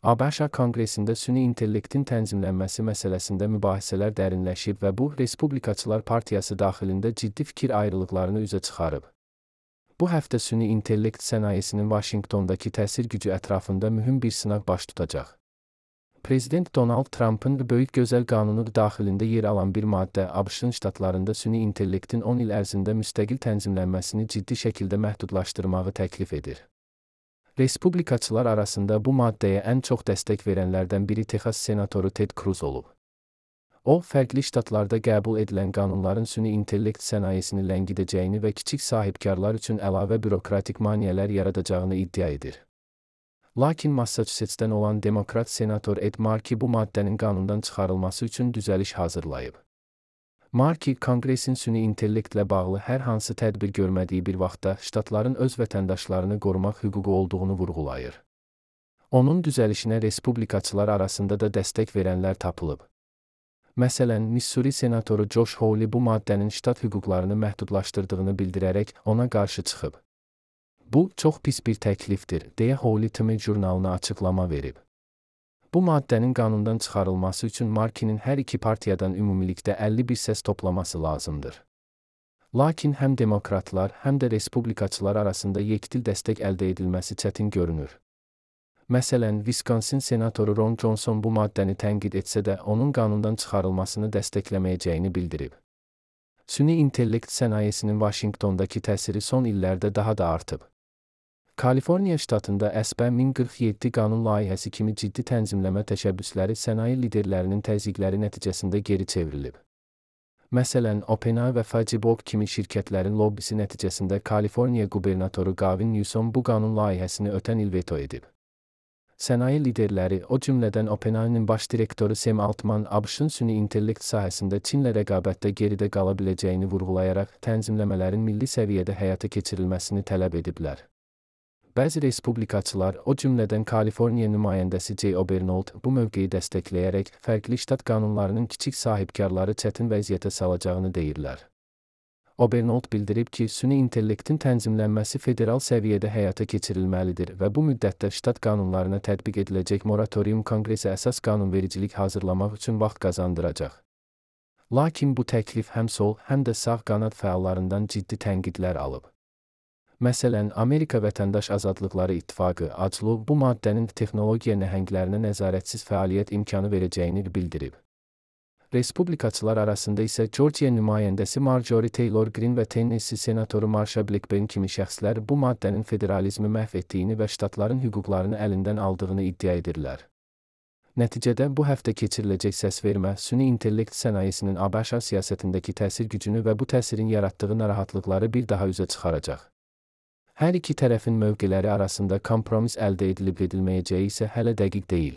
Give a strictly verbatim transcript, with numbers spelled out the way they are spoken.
ABŞ Konqresində süni intellektin tənzimlənməsi məsələsində mübahisələr dərinləşib və bu, Respublikaçılar Partiyası daxilində ciddi fikir ayrılıqlarını üzə çıxarıb. Bu həftə süni intellekt sənayesinin Vaşinqtondakı təsir gücü ətrafında mühüm bir sınaq baş tutacaq. Prezident Donald Trump'ın Böyük Gözəl Qanunu daxilində yer alan bir maddə ABŞ ştatlarında süni intellektin on il ərzində müstəqil tənzimlənməsini ciddi şəkildə məhdudlaşdırmağı təklif edir. Respublikaçılar arasında bu maddəyə ən çox dəstək verənlərdən biri Texas senatoru Ted Cruz olub. O, fərqli ştatlarda qəbul edilən qanunların süni intellekt sənayesini ləngidəcəyini və kiçik sahibkarlar üçün əlavə bürokratik maneələr yaradacağını iddia edir. Lakin Massachusetts'dən olan Demokrat senator Ed Markey bu maddənin qanundan çıxarılması üçün düzəliş hazırlayıb. Markey, Konqresin süni intellektlə bağlı hər hansı tədbir görmədiyi bir vaxtda ştatların öz vətəndaşlarını qorumaq hüququ olduğunu vurğulayır. Onun düzəlişinə respublikaçılar arasında da dəstək verənlər tapılıb. Məsələn, Missouri senatoru Josh Hawley bu maddənin ştat hüquqlarını məhdudlaşdırdığını bildirərək ona qarşı çıxıb. Bu, çox pis bir təklifdir, deyə Hawley T M jurnalına açıqlama verib. Bu maddənin qanundan çıxarılması üçün Markey'nin hər iki partiyadan ümumilikdə əlli bir səs toplaması lazımdır. Lakin həm demokratlar, həm də respublikaçılar arasında yekdil dəstək əldə edilməsi çətin görünür. Məsələn, Wisconsin senatoru Ron Johnson bu maddəni tənqid etsə də onun qanundan çıxarılmasını dəstəkləməyəcəyini bildirib. Süni intellekt sənayesinin Vaşinqtondakı təsiri son illərdə daha da artıb. Kaliforniya ştatında S B min qırx yeddi qanun layihəsi kimi ciddi tənzimləmə təşəbbüsləri sənaye liderlərinin təzyiqləri nəticəsində geri çevrilib. Məsələn, OpenAI və Facebook kimi şirkətlərin lobbisi nəticəsində Kaliforniya qubernatoru Gavin Newsom bu qanun layihəsini ötən il veto edib. Sənaye liderləri, o cümlədən OpenAI'nin baş direktoru Sam Altman, ABŞ-ın süni intellekt sahəsində Çinlə rəqabətdə geridə qala biləcəyini vurğulayaraq tənzimləmələrin milli səviyyədə həyata keçirilməsini tələb ediblər. Bəzi respublikaçılar, o cümlədən Kaliforniya nümayəndəsi Jay Obernold, bu mövqeyi dəstəkləyərək fərqli ştat qanunlarının kiçik sahibkarları çətin vəziyyətə salacağını deyirlər. Obernold bildirib ki, süni intellektin tənzimlənməsi federal səviyyədə həyata keçirilməlidir və bu müddətdə ştat qanunlarına tətbiq ediləcək moratorium Konqresə əsas qanunvericilik hazırlamaq üçün vaxt qazandıracaq. Lakin bu təklif həm sol, həm də sağ qanad fəallarından ciddi tənqidlər alıb. Məsələn, Amerika Vətəndaş Azadlıqları İttifaqı, A C L U, bu maddənin texnologiya nəhənglərinə nəzarətsiz fəaliyyət imkanı verəcəyini bildirib. Respublikaçılar arasında isə Georgia nümayəndəsi Marjorie Taylor Greene və Tennessee senatoru Marsha Blackburn kimi şəxslər bu maddənin federalizmi məhv etdiyini və ştatların hüquqlarını əlindən aldığını iddia edirlər. Nəticədə bu həftə keçiriləcək səsvermə süni intellekt sənayesinin ABŞ siyasətindəki təsir gücünü və bu təsirin yaratdığı narahatlıqları bir daha üzə çıxaracaq. Hər iki tərəfin mövqeləri arasında kompromis əldə edilib edilməyəcəyi isə hələ dəqiq deyil.